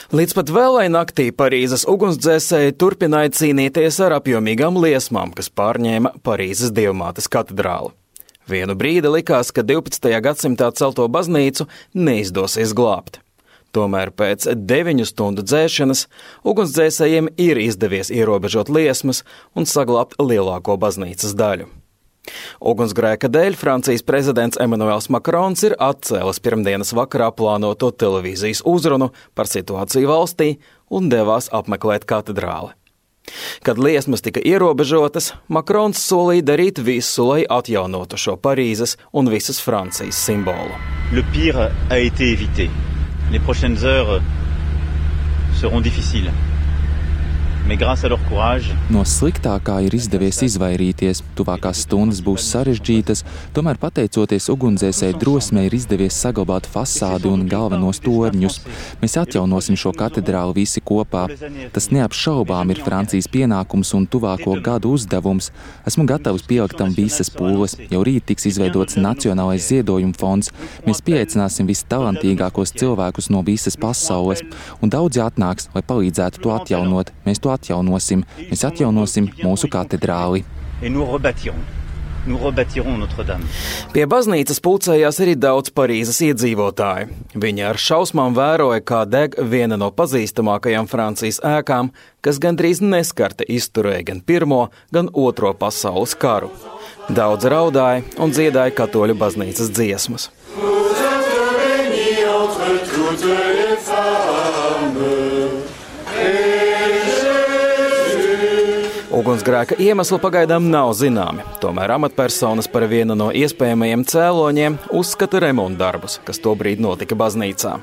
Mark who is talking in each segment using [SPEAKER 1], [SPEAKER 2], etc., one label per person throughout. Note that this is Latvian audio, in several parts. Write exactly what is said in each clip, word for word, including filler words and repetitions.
[SPEAKER 1] Līdz pat vēlai naktī Parīzes ugunsdzēsēji turpināja cīnīties ar apjomīgām liesmām, kas pārņēma Parīzes Dievmātes katedrāli. Vienu brīdi likās, ka divpadsmitajā gadsimtā celto baznīcu neizdosies glābt. Tomēr pēc deviņu stundu dzēšanas ugunsdzēsējiem ir izdevies ierobežot liesmas un saglābt lielāko baznīcas daļu. Ugunsgrēka dēļ Francijas prezidents Emmanuels Macrons ir atcēlis pirmdienas vakarā plānoto televīzijas uzrunu par situāciju valstī un devās apmeklēt katedrāli. Kad liesmas tika ierobežotas, Macrons solīja darīt visu, lai atjaunotu šo Parīzes un visas Francijas simbolu.
[SPEAKER 2] Le pire a été évité. Les prochaines heures seront difficiles. Mais grâce à leur courage,
[SPEAKER 3] no sliktākā ir izdevies izvairīties, tuvākās stundas būs sarežģītas, tomēr pateicoties ugunsdzēsēju drosmei ir izdevies saglabāt fasādi un galvenos torņus. Mēs atjaunosim šo katedrāli visi kopā. Tas neapšaubām ir Francijas pienākums un tuvāko gadu uzdevums. Esmu gatavs pielikt tam visas pūles. Jau rīt tiks izveidots Nacionālais ziedojuma fonds. Mēs pieaicināsim vistalantīgākos cilvēkus no visas pasaules, un daudzi atnāks, lai palīdzētu to atjaunot. Mēs to atjaunosim. Mēs atjaunosim mūsu katedrāli.
[SPEAKER 1] Pie baznīcas pulcējās arī daudz Parīzes iedzīvotāju. Viņi ar šausmām vēroja, kā deg viena no pazīstamākajām Francijas ēkām, kas gandrīz neskarta izturēja gan pirmo, gan otro pasaules karu. Daudz raudāja un dziedāja katoļu baznīcas dziesmas. Ugunsgrēka iemesli pagaidām nav zināmi, tomēr amatpersonas par vienu no iespējamajiem cēloņiem uzskata remontdarbus, kas tobrīd notika baznīcā.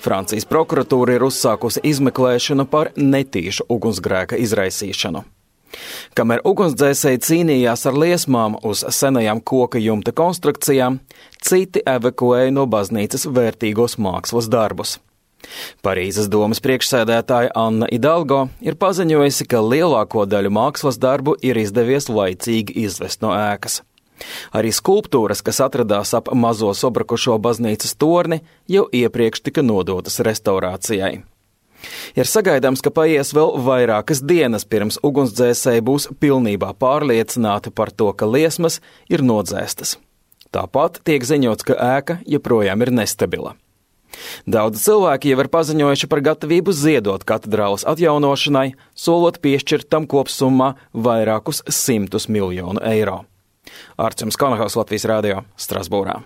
[SPEAKER 1] Francijas prokuratūra ir uzsākusi izmeklēšanu par netīšu ugunsgrēka izraisīšanu. Kamēr ugunsdzēsēji cīnījās ar liesmām uz senajām koka jumta konstrukcijām, citi evakuēja no baznīcas vērtīgos mākslas darbus. Parīzes domas priekšsēdētāja Anna Hidalgo ir paziņojusi, ka lielāko daļu mākslas darbu ir izdevies laicīgi izvest no ēkas. Arī skulptūras, kas atradās ap mazo sabrukušo baznīcas torni, jau iepriekš tika nodotas restaurācijai. Ir sagaidāms, ka paies vēl vairākas dienas pirms ugunsdzēsēji būs pilnībā pārliecināti par to, ka liesmas ir nodzēstas. Tāpat tiek ziņots, ka ēka joprojām ir nestabila. Daudzi cilvēki jau ir paziņojuši par gatavību ziedot katedrāles atjaunošanai, solot piešķirt tam kopsummā vairākus simtus miljonu eiro. Arčuns Kanahaus, Latvijas radio, Strasbūrā.